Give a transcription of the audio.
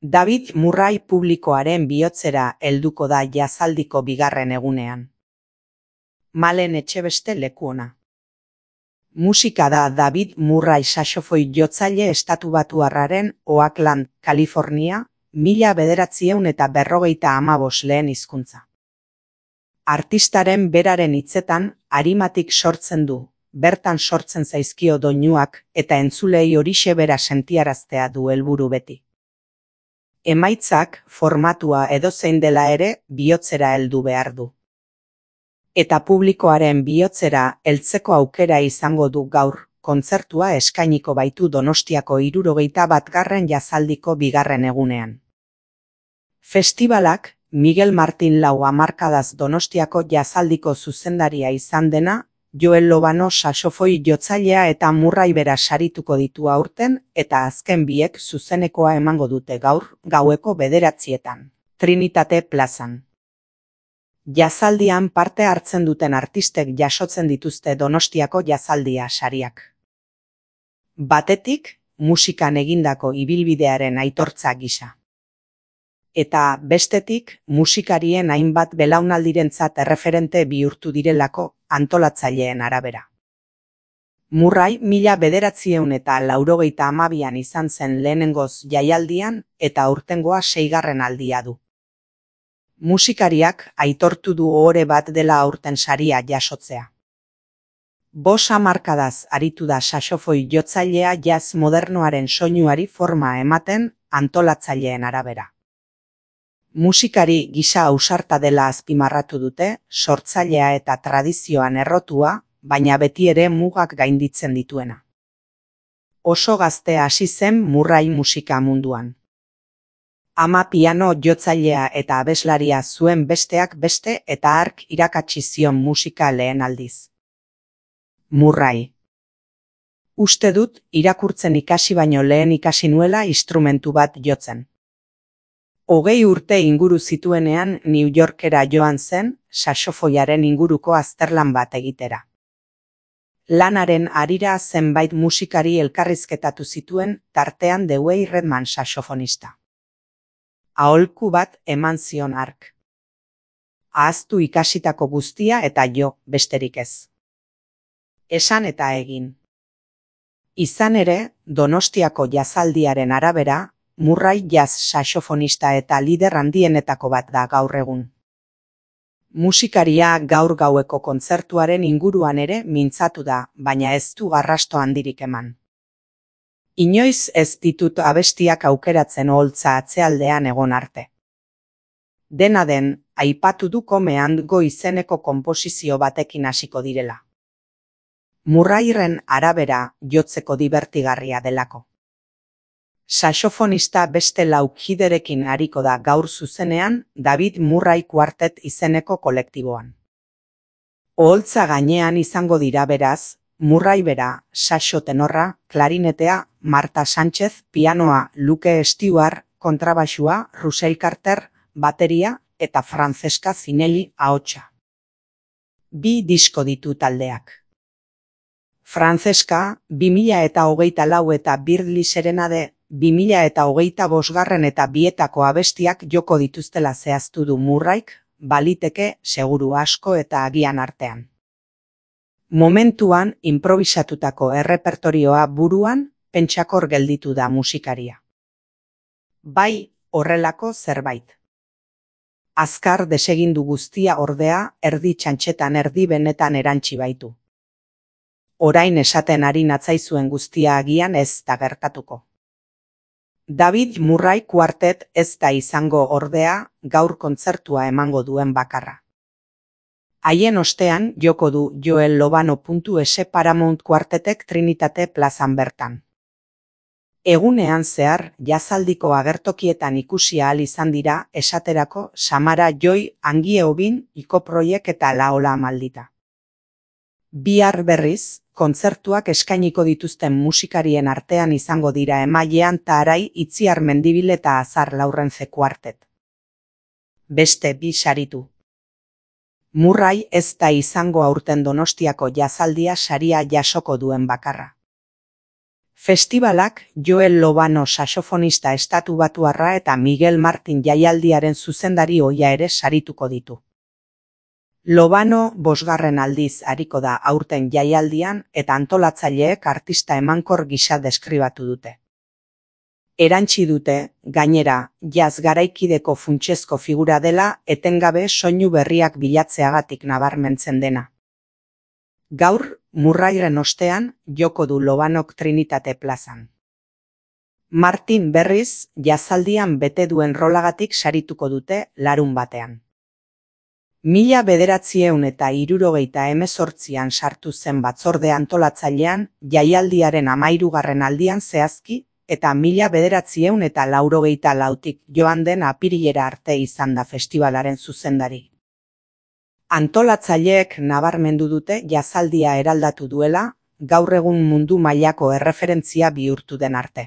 David Murray publikoaren bihotzera helduko da jazaldiko bigarren egunean. Malen Etxebeste lekuona. Musika da David Murray saxofoi jotzaile estatubatuarraren Oakland, Kalifornia, 1955 lehen hizkuntza. Artistaren beraren hitzetan arimatik sortzen du, bertan sortzen zaizkio doinuak eta entzulei horixe bera sentiaraztea du helburu beti. Emaitzak formatua edozein dela ere bihotzera heldu behar du. Eta publikoaren bihotzera heltzeko aukera izango du gaur, kontzertua eskainiko baitu Donostiako 71. jazaldiko bigarren egunean. Festibalak Miguel Martin lau hamarkadaz Donostiako jazaldiko zuzendaria izan dena, Joel Lobano saxofoi jotzailea eta Murray bera sarituko ditu aurten eta azken biek zuzenekoa emango dute gaur gaueko 9:00 Trinitate plazan. Jazaldian parte hartzen duten artistek jasotzen dituzte Donostiako jazaldia sariak. Batetik, musikan egindako ibilbidearen aitortza gisa. Eta bestetik, musikarien hainbat belaunaldirentzat erreferente bihurtu direlako antolatzaileen arabera. Murray 1982an izan zen lehenengoz jaialdian eta aurtengoa 6. aldia du. Musikariak aitortu du ohore bat dela aurten saria jasotzea. 5 hamarkadaz aritu da saxofoi jotzailea jazz modernoaren soinuari forma ematen antolatzaileen arabera. Musikari gisa ausarta dela azpimarratu dute, sortzailea eta tradizioan errotua, baina beti ere mugak gainditzen dituena. Oso gazte hasi zen Murray musika munduan. Ama piano jotzailea eta abeslaria zuen besteak beste eta hark irakatsi zion musika lehen aldiz. Murray. Uste dut irakurtzen ikasi baino lehen ikasi nuela instrumentu bat jotzen. 20 urte inguru zituenean New Yorkera joan zen, saxofoiaren inguruko azterlan bat egitera. Lanaren harira zenbait musikari elkarrizketatu zituen, tartean Dewey Redman saxofonista. Aholku bat eman zion hark. Ahaztu ikasitako guztia eta jo, besterik ez. Esan eta egin. Izan ere, Donostiako jazaldiaren arabera, Murray jazz saxofonista eta lider handienetako bat da gaur egun. Musikaria gaur gaueko kontzertuaren inguruan ere mintzatu da, baina ez du arrasto handirik eman. Inoiz ez ditut abestiak aukeratzen oholtza atzealdean egon arte. Dena den, aipatu du Come and Go izeneko konposizio batekin hasiko direla. Murrayren arabera jotzeko dibertigarria delako. Saxofonista beste 4 kiderekin ariko da gaur zuzenean David Murray Quartet izeneko kolektiboan. Oholtza gainean izango dira beraz, Murray bera, saxo tenorra, klarinetea, Marta Sánchez, pianoa, Luke Stewart, kontrabaxua, Russell Carter, bateria eta Francesca Zinelli ahotsa. 2 disko ditu taldeak. Francesca 2024 eta Birdly Serenade 2025 eta bietako abestiak joko dituztela zehaztu du Murrayk, baliteke seguru asko eta agian artean. Momentuan improvisatutako errepertorioa buruan pentsakor gelditu da musikaria. Bai, horrelako zerbait. Azkar desegindu guztia ordea erdi txantxetan erdi benetan erantsi baitu. Orain esaten ari natzaizuen guztia agian ez da gertatuko. David Murray Quartet ez da izango ordea gaur kontzertua emango duen bakarra. Haien ostean joko du Joel Lobano.es Paramount Quartetek Trinitate plazan bertan. Egunean zehar, jazaldiko agertokietan ikusi ahal izan dira esaterako Samara Joy, Angie Obin, Iko Proiek eta Laola Maldita. Bihar berriz, kontzertuak eskainiko dituzten musikarien artean izango dira Emailean Tarai, Itziar Mendibil eta Azar Laurrence Quartet. Beste 2 saritu. Murray ez da izango aurten Donostiako jazaldia saria jasoko duen bakarra. Festibalak Joel Lobano saxofonista estatubatuarra eta Miguel Martin jaialdiaren zuzendari ohia ere sarituko ditu. Lobano 5. aldiz ariko da aurten jaialdian eta antolatzaileek artista emankor gisa deskribatu dute. Erantsi dute, gainera, jazz garaikideko funtsezko figura dela etengabe soinu berriak bilatzeagatik nabarmentzen dena. Gaur, Murrayren ostean, joko du Lobanok Trinitate plazan. Martin berriz, jazaldian bete duen rolagatik sarituko dute larunbatean. 1978an sartu zen batzorde antolatzailean jaialdiaren 13. aldian zehazki eta 1984tik joan den apirilera arte izan da festivalaren zuzendari. Antolatzaileek nabarmendu dute jazaldia eraldatu duela, gaur egun mundu mailako erreferentzia bihurtu den arte.